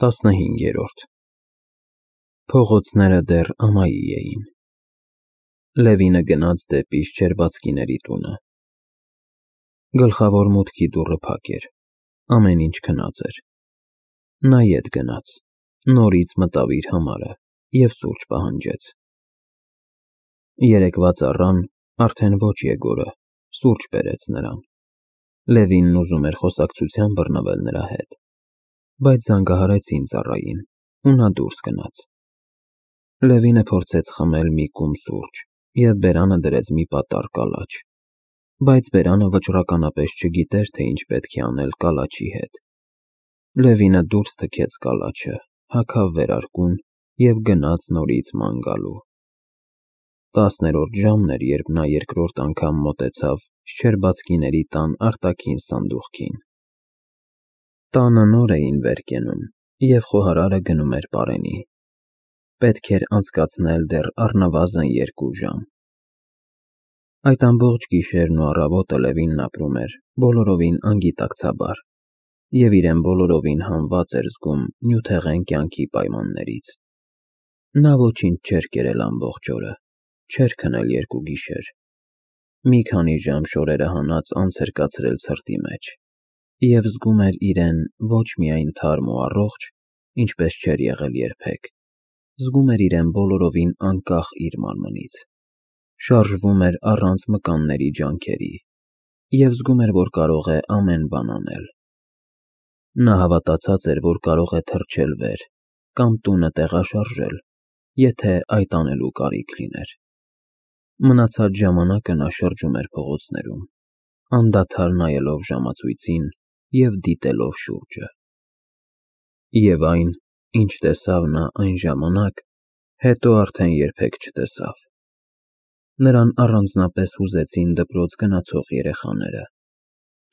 15 Փողոցները դեռ ամայի էին։ Լևինը գնաց դեպի Շչերբացկիների տունը։ Գլխավոր մուտքի դուռը փակ էր, ամեն ինչ քնած էր։ Նա ետ գնաց, նորից մտավ իր համարը և սուրճ պահանջեց։ Երեկվա ծառան, արդեն ոչ Եգորը, սուրճ բերեց նրան։ Լևինն ուզում էր խոսակցության բռնվել նրա հետ, բայց զանգահարեցին ծառային, ու նա դուրս գնաց։ Լևինը փորձեց խմել մի կում սուրճ և բերանը դրեց մի պատառ կալաչ, բայց բերանը վճռականապես չգիտեր, թե ինչ պետք է անել կալաչի հետ։ Լևինը դուրս թքեց կալաչը, հագավ վերարկուն և գնաց նորից ման գալու։ 10-րդ ժամն էր, երբ նա երկրորդ անգամ մոտեցավ Շչերբացկիների տան արտաքին սանդուղքին։ Տանը նոր էին վեր կենում, և խոհարարը գնում էր պարենի։ Պետք էր անցկացնել դեռ առնվազն 2 ժամ։ Այդ ամբողջ գիշերն ու առավոտը Լևինն ապրում էր բոլորովին անգիտակցաբար և իրեն բոլորովին հանված էր զգում նյութեղեն կյանքի պայմաններից։ Նա ոչինչ չէր կերել ամբողջ օրը, չէր քնել 2 գիշեր։ Մի քանի ժամ շորերը հանած անց էր կացրել ցրտի մեջ և զգում էր իրեն ոչ միայն թարմ ու առողջ, ինչպես չէր եղել երբեք, զգում էր իրեն բոլորովին անկախ իր մարմնից, շարժվում էր առանց մկանների ջանքերի և զգում էր, որ կարող է ամեն բան անել։ Նա հավատացած էր, որ կարող է թռչել վեր կամ տունը տեղաշարժել, եթե այդ անելու կարիք լիներ։ Մնացած ժամանակը նա շրջում էր փողոցներում, անդադար նայելով ժամացույցին և դիտելով շուրջը։ Եվ այն, ինչ տեսավ նա այն ժամանակ, հետո արդեն երբեք չտեսավ։ Նրան առանձնապես հուզեցին դպրոց գնացող երեխաները,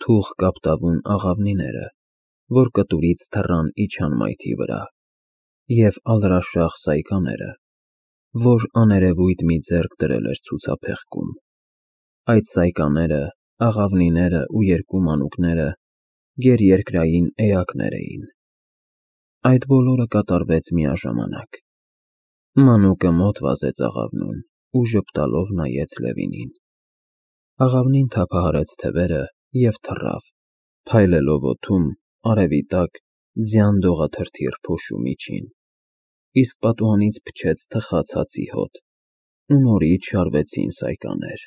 թուխ կապտավուն աղավնիները, որ կտուրից թռան իջան մայթի վրա, և ալրաշաղ սայկաները, որ աներևույթ մի ձեռք դրել էր ցուցափեղկում։ Այդ սայկաները, աղավնիները ու 2 մանուկները գերերկրային էակներ էին։ Այդ բոլորը կատարվեց միաժամանակ։ Մանուկը մոտ վազեց աղավնուն ու ժպտալով նայեց Լևինին։ Աղավնին թափահարեց թևերը և թռավ, փայլելով օդում, արևի տակ, ձյան դողաթրթիռ փոշու միջին, իսկ պատուհանից փչեց թխած հացի հոտ, ու նորից շարվեցին սայկաներ։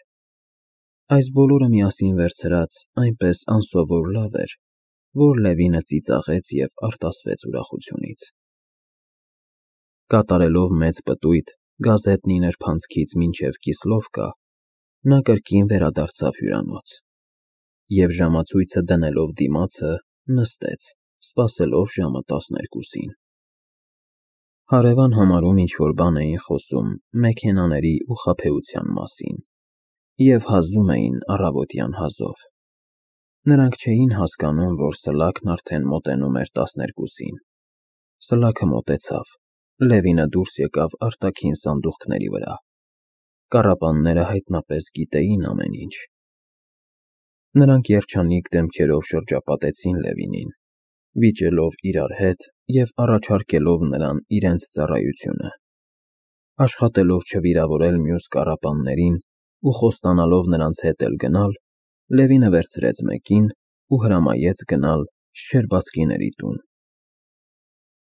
Այս բոլորը միասին վերցրած այնպես անսովոր լավ էր, որ Լևինը ծիծաղեց և արտասվեց ուրախությունից։ Կատարելով մեծ պտույտ գազետնի նրբանցքից մինչև Կիսլովկա, նա կրկին վերադարձավ հյուրանոց և ժամացույցը դնելով դիմացը, նստեց, սպասելով ժամը 12-ին։ Հարևան համարում ինչ-որ բան էին խոսում մեքենաների ու խաբեության մասին և հազում էին առավոտյան հազով։ Նրանք չէին հասկանում, որ սլաքն արդեն մոտենում էր 12-ին։ Սլաքը մոտեցավ, Լևինը դուրս եկավ արտաքին սանդուղքների վրա։ Կառապանները հայտնապես գիտեին ամեն ինչ։ Նրանք երջանիկ դեմքերով շրջապատեցին Լևինին, վիճելով իրար հետ և առաջարկելով նրան իրենց ծառայությունը։ Աշխատելով չվիրավորել մյուս կառապաններին ու խոստանալով նրանց հետ էլ գնալ, Լևինը վերցրեց մեկին ու հրամայեց գնալ Շչերբացկիների տուն։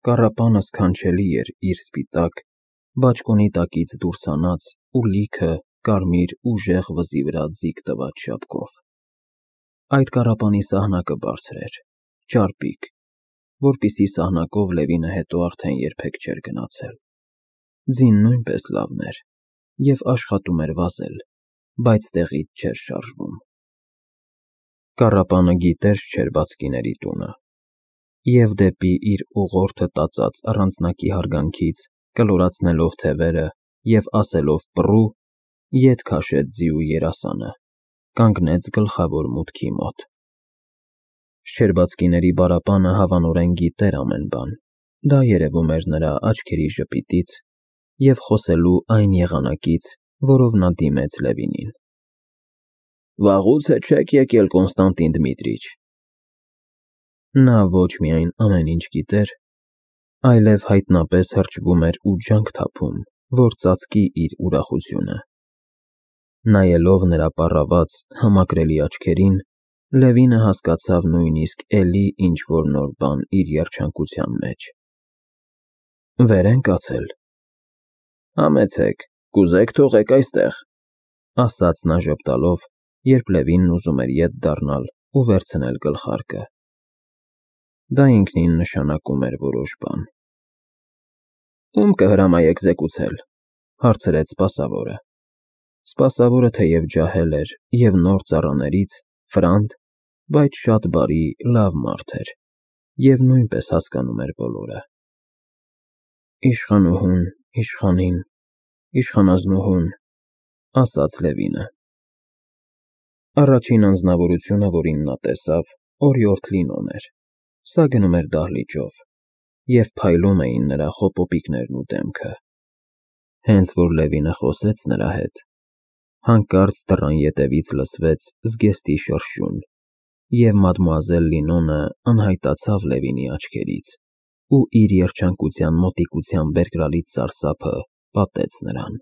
Կառապանը սքանչելի էր իր սպիտակ, բաճկոնի տակից դուրս հանած ու լիքը կարմիր ուժեղ վզի վրա ձիգ տված շապկով։ Այդ կառապանի սահնակը բարձր էր, ճարպիկ, որպիսի սահնակով Լևինը հետո արդեն երբեք չէր գնացել։ Ձին նույնպես լավն էր և աշխատում էր վազել, բայց տեղից չէր շարժվում։ Կառապանը գիտեր Շչերբացկիների տունը և դեպի իր ուղղորդը տածած առանձնակի հարգանքից, կլորացնելով թևերը և ասելով պռու, ետ քաշեց ձիու երասանը, կանգնեց գլխավոր մուտքի մոտ։ Շչերբացկիների բառապանը հավանորեն գիտեր ամեն բան, դա երևում էր նրա աչքերի ժպիտից և խոսելու այն եղանակից, որով նա դիմեց Լևինին։ Վաղուց է չեք եկել, Կոնստանտին Դմիտրիչ։ Նա ոչ միայն ամեն ինչ գիտեր, այլև հայտնապես հրճվում էր ու ջանք թափում, որ ծածկի իր ուրախությունը։ Նայելով նրա պառաված, համակրելի աչքերին, Լևինը հասկացավ նույնիսկ էլի ինչ-որ նոր բան իր երջանկության մեջ։ «Վեր են կացել»։ «Համեցեք, կուզեք թողեք այստեղ», ասաց նա ժպտալով, երբ Լևինն ուզում էր ետ դառնալ ու վերցնել գլխարկը։ Դա ինքնին նշանակում էր որոշ բան։ «Ում կհրամայեք զեկուցել», հարցրեց սպասավորը։ Սպասավորը թեև ջահել էր և նոր ծառաներից, ֆրանտ, բայց շատ բարի, լավ մարդ էր և նույնպես հասկանում էր բոլորը։ «Իշխանուհուն, իշխանին, իշխանազնուհուն», ասաց Լևինը։ Առաջին անձնավորությունը, որին նա տեսավ, օրիորդ Լինոն էր։ Սա գնում էր դահլիճով, և փայլում էին նրա խոպոպիկներն ու դեմքը։ Հենց որ Լևինը խոսեց նրա հետ, հանկարծ դռան ետևից լսվեց զգեստի շրշյուն, և մադմուազել Լինոնը անհայտացավ Լևինի աչքերից ու իր երջանկության մոտիկությամբ բերկրալից սարսափը պատեց նրան։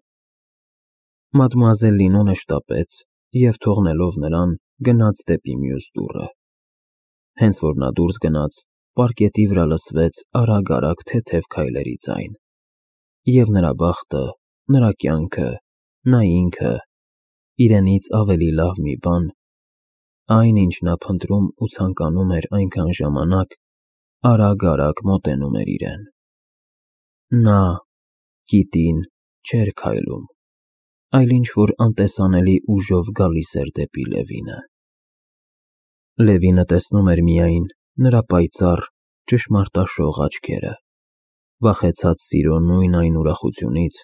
Մադմուազել Լինոնը շտապեց և, թողնելով նրան, գնաց դեպի մյուս դուռը։ Հենց որ նա դուրս գնաց, պարկետի վրա լսվեց արագ-արագ թեթև քայլերի ձայն, և նրա բախտը, նրա կյանքը, նա ինքը, իրենից ավելի լավ մի բան, այն, ինչ նա փնտրում ու ցանկանում էր այնքան ժամանակ, արագ-արագ մոտենում էր իրեն։ Նա, Կիտին, չէր քայլում, այլ ինչ-որ անտեսանելի ուժով գալիս էր դեպի Լևինը։ Լևինը տեսնում էր միայն նրա պայծառ, ճշմարտաշող աչքերը, վախեցած սիրո նույն այն ուրախությունից,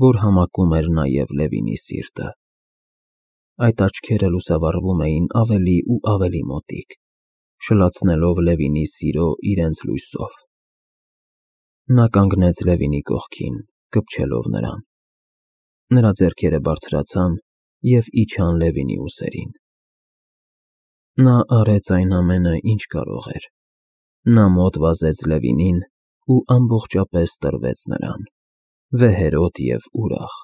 որ համակում էր նաև Լևինի սիրտը։ Այդ աչքերը լուսավառվում էին ավելի ու ավելի մոտիկ, շլացնելով Լևինի սիրո իրենց լույսով։ Նա կանգնեց Լևինի կողքին, կպչելով նրան։ Նրա ձեռքերը բարձրացան և իջան Լևինի ուսերին։ Նա արեց այն ամենը, ինչ կարող էր։ Նա մոտ վազեց Լևինին ու ամբողջապես տրվեց նրան, վեհերոտ և ուրախ։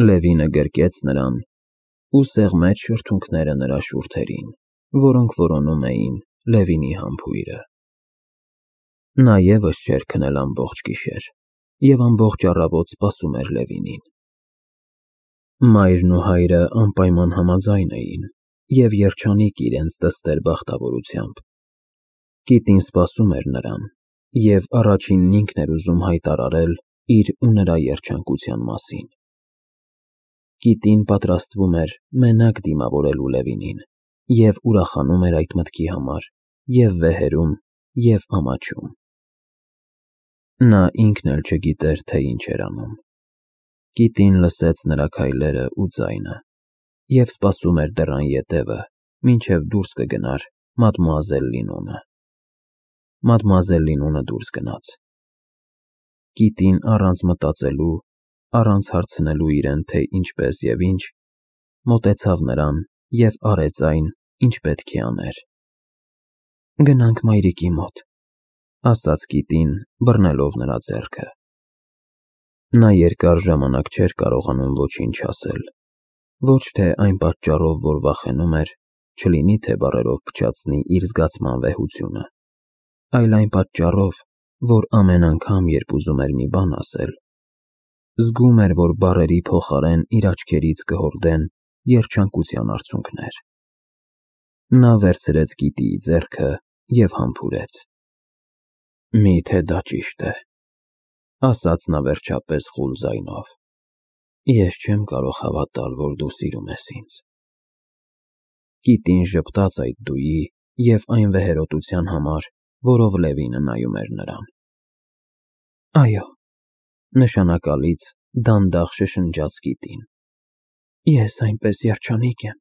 Լևինը գրկեց նրան ու սեղմեց շրթունքները նրա շուրթերին, որոնք որոնում էին Լևինի համբույրը։ Նա ևս չէր քնել ամբողջ գիշեր և ամբողջ առավոտ սպասում էր Լևինին։ Մայրն ու հայրը անպայման համաձայն էին և երջանիկ իրենց դստեր բախտավորությամբ։ Կիտին սպասում էր նրան և առաջինն ինքն էր ուզում հայտարարել իր ու նրա երջանկության մասին։ Կիտին պատրաստվում էր մենակ դիմավորելու Լևինին և ուրախանում էր այդ մտքի համար և վեհերում, և ամաչում։ Նա ինքն էլ չգիտեր, թե ինչ էր անում։ Կիտին լսեց նրա քայլերը ու ձայնը և սպասում էր դռան ետևը, մինչև դուրս կգնար մադմուազել Լինոնը։ Մադմուազել Լինոնը դուրս գնաց։ Կիտին առանց մտածելու, առանց հարցնելու իրեն, թե ինչպես և ինչ, մոտեցավ նրան և արեց այն, ինչ պետք է աներ։ «Գնանք մայրիկի մոտ», ասաց կիտին, բռնելով նրա ձեռքը։ Նա երկար ժամանակ չէր կարողանում ոչինչ ասել, ոչ թե այն պատճառով, որ վախենում էր, չլինի թե բառերով փչացնի իր զգացման վեհությունը, այլ այն պատճառով, որ ամեն անգամ, երբ ուզում էր մի բան ասել, զգում էր, որ բառերի փոխարեն իր աչքերից կհորդեն երջանկության արցունքներ։ Նա վերցրեց գիտիի ձեռքը և համբուրեց։ «Մի՞թե դա ճիշտ է», ասաց նա վերջապես խուլ ձայնով։ «Ես չեմ կարող հավատալ, որ դու սիրում ես ինձ»։ Կիտին ժպտաց այդ «դուի» և այն վեհերոտության համար, որով Լևինը նայում էր նրան։ «Այո», նշանակալից դանդաղ շշնջաց կիտին, «ես այնպես երջանիկ եմ»։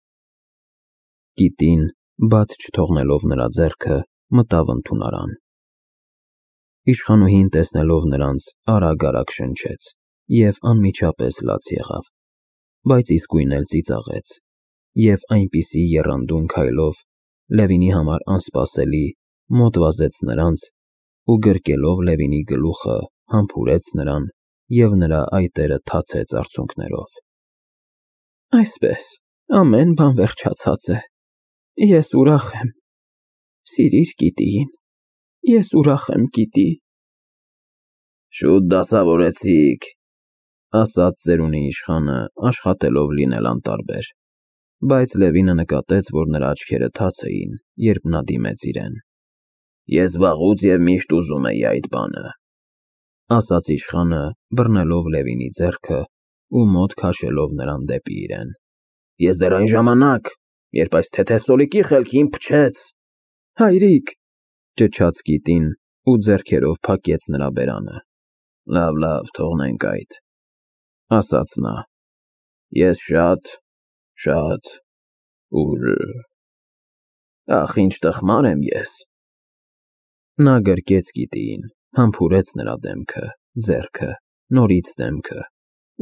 Կիտին, բաց չթողնելով նրա ձեռքը, մտավ ընդունարան։ Իշխանուհին, տեսնելով նրանց, արագ-արագ շնչեց և անմիջապես լաց եղավ, բայց իսկույն էլ ծիծաղեց և այնպիսի եռանդուն քայլով, Լևինի համար անսպասելի, մոտ վազեց նրանց ու գրկելով Լևինի գլուխը համբուրեց նրան և նրա այտերը թացեց արցունքներով։ Այսպես, ամեն բան վերջացած է։ Ես ուրախ եմ։ Սիրիր գիտիին։ Ես ուրախ եմ գիտի։ Շուտ դասավորեցիք, ասաց ծերունի իշխանը, աշխատելով լինել անտարբեր, բայց Լևինը նկատեց, որ նրա աչքերը թաց էին, երբ նա դիմեց իրեն։ Ես վաղուց և միշտ ուզում էի այդ բանը, ասաց իշխանը, բռնելով Լևինի ձեռքը ու մոտ քաշելով նրան դեպի իրեն։ Ես դեռ այն ժամանակ, երբ այս թեթև սոլիկի խելքին փչեց… Հայրիկ, ճչաց գիտին ու ձեռքերով փակեց նրա բերանը։ Լավ, թողնենք այդ, ասաց նա։ Ես շատ ուժ… Ախ, ինչ տխմար եմ ես… Նա գրկեց գիտիին, համբուրեց նրա դեմքը, ձեռքը, նորից դեմքը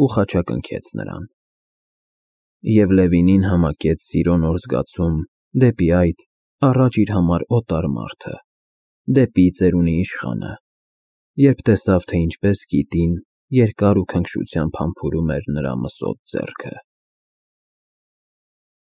ու խաչակնքեց նրան։ Եվ Լևինին համակեց սիրո նոր զգացում դեպի այդ առաջ իր համար օտար մարդը, դեպի ծերունի իշխանը, երբ տեսավ, թե ինչպես գիտին երկար ու քնքշությամբ համբուրում էր նրա մսոտ ձեռքը։